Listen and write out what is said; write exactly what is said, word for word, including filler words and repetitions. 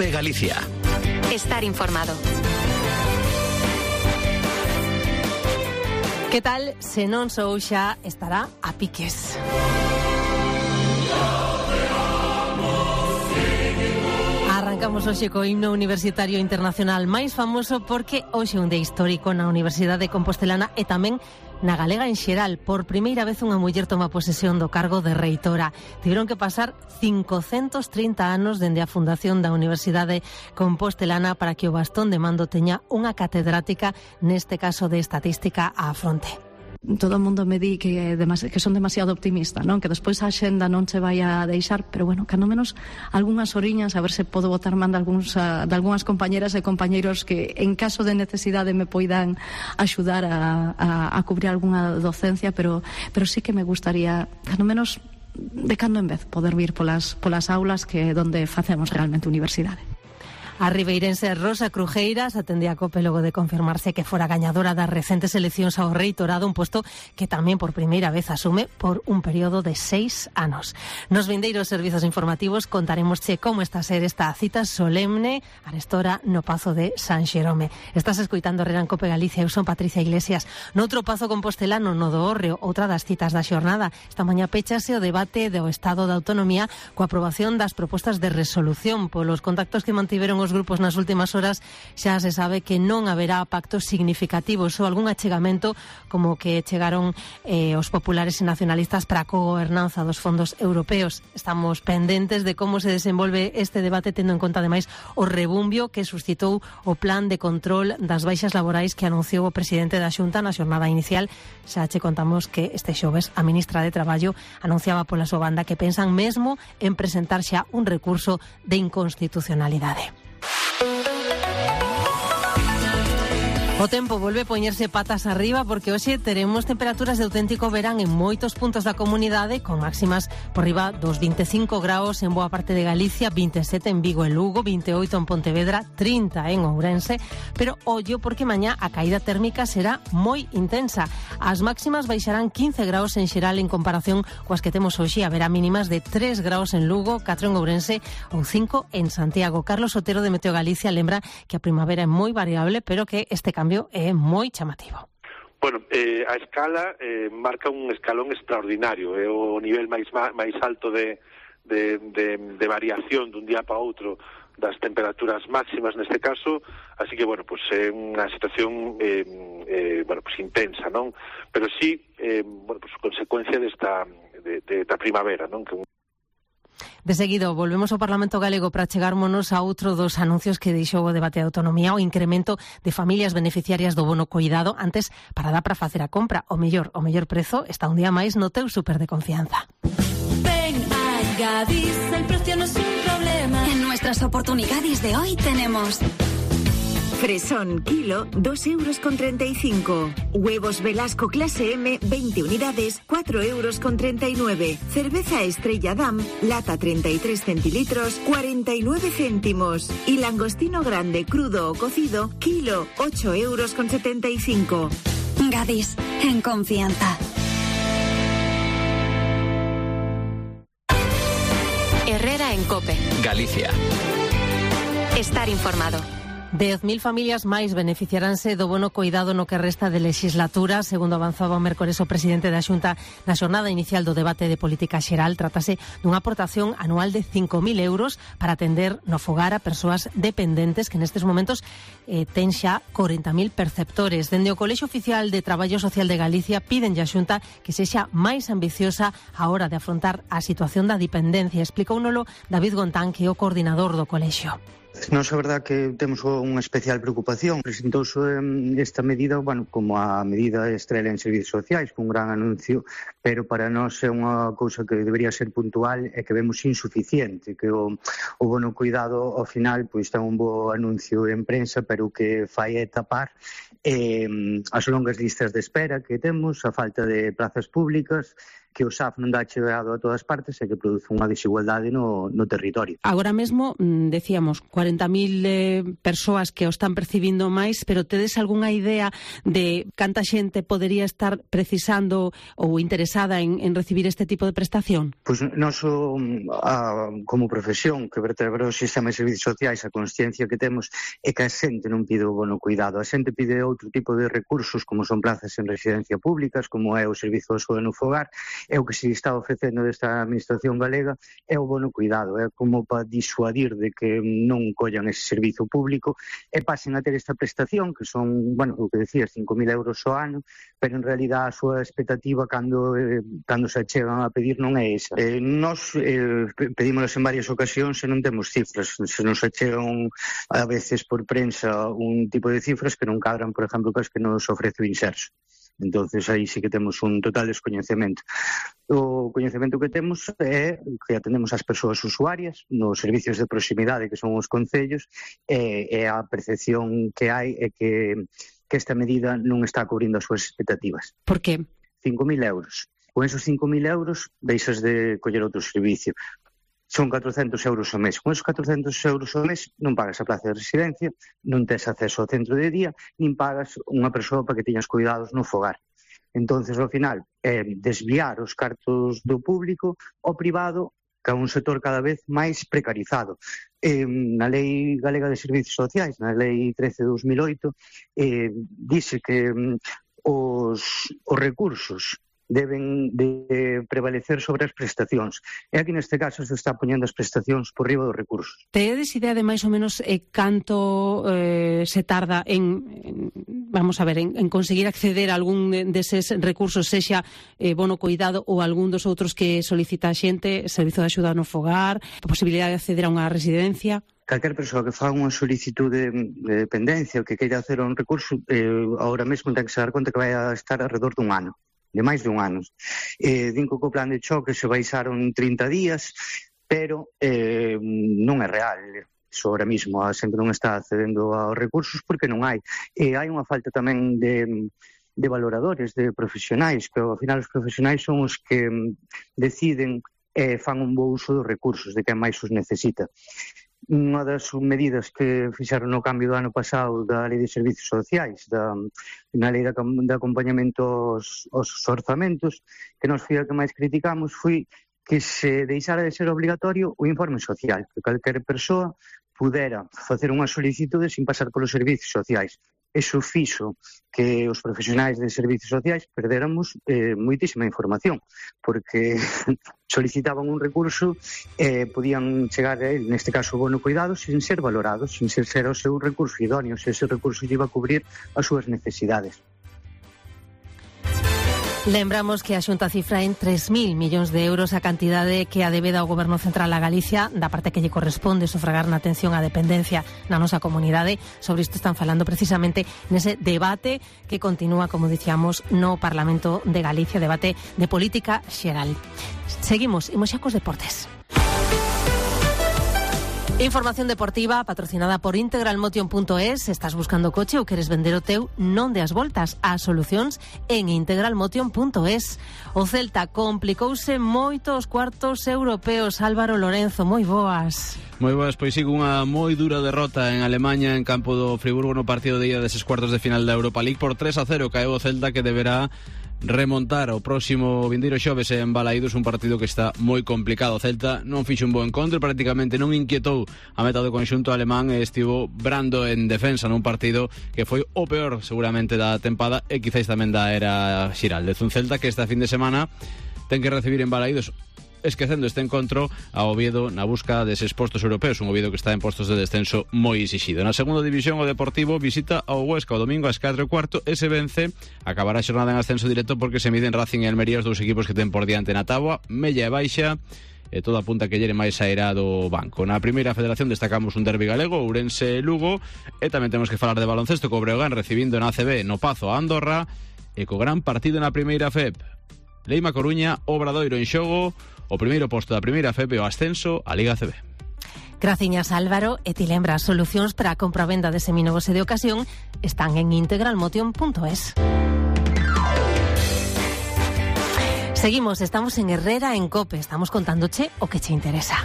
COPE Galicia. Estar informado. Que tal se non sou xa estará a piques? Arrancamos hoxe co himno universitario internacional máis famoso porque hoxe é un día histórico na Universidade Compostelana e tamén na galega en xeral. Por primeira vez unha muller toma posesión do cargo de reitora. Tiveron que pasar cincocentos trinta anos dende a fundación da Universidade Compostelana para que o bastón de mando teña unha catedrática, neste caso de estatística, á fronte. Todo o mundo me di que, demas, que son demasiado optimista, non? Que despois a xenda non se vai a deixar, pero bueno, cando menos algunhas oriñas, a ver se podo botar man de, algúns, a, de algunhas compañeras e compañeiros que en caso de necesidade me poidan axudar a, a, a cubrir algunha docencia, pero, pero sí que me gustaría, cando menos de cando en vez, poder vir polas, polas aulas que é onde facemos realmente universidade. A ribeirense Rosa Crujeiras atendía a COPE logo de confirmarse que fora gañadora das recentes eleccións ao reitorado, un posto que tamén por primeira vez asume por un período de seis anos. Nos vindeiros servizos informativos contaremosche como está a ser esta cita solemne arestora no Pazo de San Xerome. Estás escoitando Herrera en COPE Galicia, eu son Patricia Iglesias. Noutro Pazo compostelano, no do Hórreo, outra das citas da xornada. Esta mañá péchase o debate do Estado da Autonomía coa aprobación das propostas de resolución. Polos contactos que mantiveron os grupos nas últimas horas xa se sabe que non haberá pactos significativos ou algún achegamento como que chegaron eh, os populares e nacionalistas para a cogobernanza dos fondos europeos. Estamos pendentes de como se desenvolve este debate, tendo en conta ademais o rebumbio que suscitou o plan de control das baixas laborais que anunciou o presidente da Xunta na xornada inicial. Xa che contamos que este xoves a ministra de Traballo anunciaba pola súa banda que pensan mesmo en presentar xa un recurso de inconstitucionalidade. O tempo volve a poñerse patas arriba porque hoxe teremos temperaturas de auténtico verán en moitos puntos da comunidade, con máximas por riba dos vinte e cinco graus en boa parte de Galicia, vinte e sete en Vigo e Lugo, vinte e oito en Pontevedra, trinta en Ourense, pero ollo porque mañá a caída térmica será moi intensa. As máximas baixarán quince graus en xeral en comparación coas que temos hoxe, haberá mínimas de tres graus en Lugo, catro en Ourense ou cinco en Santiago. Carlos Otero de Meteo Galicia lembra que a primavera é moi variable, pero que este cambio é moi chamativo. Bueno, eh, a escala eh, marca un escalón extraordinario, é o nivel máis máis alto de, de, de, de variación dun día para outro das temperaturas máximas neste caso, así que, bueno, pues é unha situación eh, eh, bueno, pues intensa, non? Pero sí, eh, bueno, pues consecuencia desta de, de, da primavera, non? Que De seguido, volvemos ao Parlamento Galego para chegármonos a outro dos anuncios que deixou o debate de autonomía, o incremento de familias beneficiarias do bono coidado. Antes, para dar para facer a compra, o mellor, o mellor prezo está un día máis no teu súper de confianza. Ven a Gadis, el precio no es un problema. En nuestras oportunidades de hoy tenemos fresón kilo, dos euros con treinta y cinco. Huevos Velasco clase M, veinte unidades, cuatro euros con treinta y nueve. Cerveza Estrella Damm, lata treinta y tres centilitros, cuarenta y nueve céntimos. Y langostino grande, crudo o cocido, kilo, ocho euros con setenta y cinco. Gadis, en confianza. Herrera en COPE Galicia. Estar informado. dez mil familias máis beneficiaránse do bono coidado no que resta de legislatura, segundo avanzaba o mércores o presidente da Xunta na xornada inicial do debate de política xeral. Trátase dunha aportación anual de cinco mil euros para atender no fogar a persoas dependentes que nestes momentos eh, ten xa corenta mil perceptores. Dende o Colexio Oficial de Traballo Social de Galicia piden a Xunta que sexa máis ambiciosa a hora de afrontar a situación da dependencia. Explicóunolo David Gontán, que é o coordinador do colexio. Nos é verdad que temos unha especial preocupación. Presentouse esta medida, bueno, como a medida estrela en servicios sociais, con un gran anuncio, pero para nós é unha cousa que debería ser puntual e que vemos insuficiente, que o, o bono cuidado ao final pois ten un bo anuncio en prensa, pero que fai é tapar eh, as longas listas de espera que temos, a falta de plazas públicas que o S A F non dá chegado a todas partes e que produce unha desigualdade no, no territorio. Agora mesmo, decíamos, cuarenta mil eh, persoas que o están percibindo máis, pero tedes algunha idea de canta xente podería estar precisando ou interesada en, en recibir este tipo de prestación? Pois nós, a, como profesión que vertebra o sistema de servicios sociais, a consciencia que temos é que a xente non pide o bono cuidado, a xente pide outro tipo de recursos, como son plazas en residencia públicas, como é o servizo de saúde no fogar, é o que se está ofrecendo desta administración galega, é o bono cuidado, é como para disuadir de que non collan ese servizo público e pasen a ter esta prestación, que son, bueno, o que decías, cinco mil euros ao ano, pero en realidad a súa expectativa cando, eh, cando se chegan a pedir non é esa. Eh, nos eh, pedímolas en varias ocasións e non temos cifras, se nos achegan a veces por prensa un tipo de cifras que non cadran, por exemplo, que as que nos ofrece o Inserso. Entonces aí sí que temos un total descoñecemento. O coñecemento que temos é que atendemos as persoas usuarias nos servicios de proximidade que son os concellos e, e a percepción que hai é que, que esta medida non está cubrindo as súas expectativas. Por que? cinco mil euros. Con esos cinco mil euros deixas de coller outro servicio. Son catrocentos euros ao mes. Con esos catrocentos euros ao mes non pagas a plaza de residencia, non tes acceso ao centro de día, nin pagas unha persoa para que teñas cuidados no fogar. Entonces, ao final, é desviar os cartos do público ao privado, que é un sector cada vez máis precarizado. Eh, na Lei Galega de Servicios Sociais, na Lei trece de dos mil oito, eh, dice que mm, os, os recursos deben de prevalecer sobre as prestacións. E aquí neste caso se está poñendo as prestacións por riba dos recursos. Tedes idea de máis ou menos eh, canto eh, se tarda en, en vamos a ver, en, en conseguir acceder a algún deses recursos, sexa eh, bono cuidado ou algún dos outros que solicita a xente, servizo de axuda no fogar, a posibilidade de acceder a unha residencia? Calquer persoa que faga unha solicitude de dependencia ou que queira hacer un recurso, eh, ahora mesmo ten que se dar conta que vai a estar alrededor dun ano. de máis de un ano. Eh, din que o plan de choque se baixaron trinta días, pero eh, non é real. Iso ahora mismo a xente non está accedendo aos recursos porque non hai. E hai unha falta tamén de, de valoradores, de profesionais, que ao final os profesionais son os que deciden e eh, fan un bo uso dos recursos, de quen máis os necesita. Unha das medidas que fixaron no cambio do ano pasado da Lei de Servicios Sociais, da, na Lei de, de Acompañamento aos, aos orzamentos, que nos foi a que máis criticamos, foi que se deixara de ser obligatorio o informe social, que calquer persoa pudera facer unha solicitude sin pasar polos servicios sociais. Eso fixo que os profesionais de servicios sociais perdéramos eh, moitísima información, porque solicitaban un recurso e eh, podían chegar a él, neste caso o bono cuidado, sin ser valorados, sin ser, ser o seu recurso idóneo, se ese recurso iba a cubrir as súas necesidades. Lembramos que a Xunta cifra en tres mil millóns de euros a cantidade que a debeda ao Goberno Central a Galicia da parte que lle corresponde sufragar na atención á dependencia na nosa comunidade. Sobre isto están falando precisamente nese debate que continúa, como dicíamos, no Parlamento de Galicia, debate de política xeral. Seguimos, imos xa cos deportes. Información deportiva patrocinada por integralmotion punto es. Estás buscando coche ou queres vender o teu? Non deas voltas. As solucións en integralmotion punto es. O Celta complicouse moito os cuartos europeos. Álvaro Lorenzo, moi boas. Moi boas, pois sigo unha moi dura derrota en Alemanha en campo do Friburgo no partido de ida deses cuartos de final da Europa League por tres a cero. Caeu o Celta, que deberá remontar o próximo vindeiro xoves en Balaídos, un partido que está moi complicado. O Celta non fixo un bo encontro, prácticamente non inquietou a meta do conxunto alemán e estivo brando en defensa nun partido que foi o peor seguramente da tempada e quizáis tamén da era Xiraldez. Un Celta que esta fin de semana ten que recibir en Balaídos, esquecendo este encontro, a Oviedo na busca deses postos europeos, un Oviedo que está en postos de descenso moi exixido. Na segunda división, o Deportivo visita ao Huesca o domingo ás catro e cuarto e se vence acabará a xornada en ascenso directo, porque se miden Racing e Almería, os dous equipos que ten por diante na táboa, mella e baixa, e todo apunta que llere máis sairá do banco. Na primeira federación destacamos un derbi galego, Ourense e Lugo, e tamén temos que falar de baloncesto, co Breogán recibindo na A C B no Pazo a Andorra, e co gran partido na primeira F E P. Leima Coruña, Obradoiro en xogo, o primeiro posto da primeira F E P e o ascenso á Liga A C B. Graciñas, Álvaro. E ti lembras, solucións para a compra-venda de seminovos e de ocasión están en integralmotion punto es. Seguimos, estamos en Herrera en COPE, estamos contándoche o que te interesa.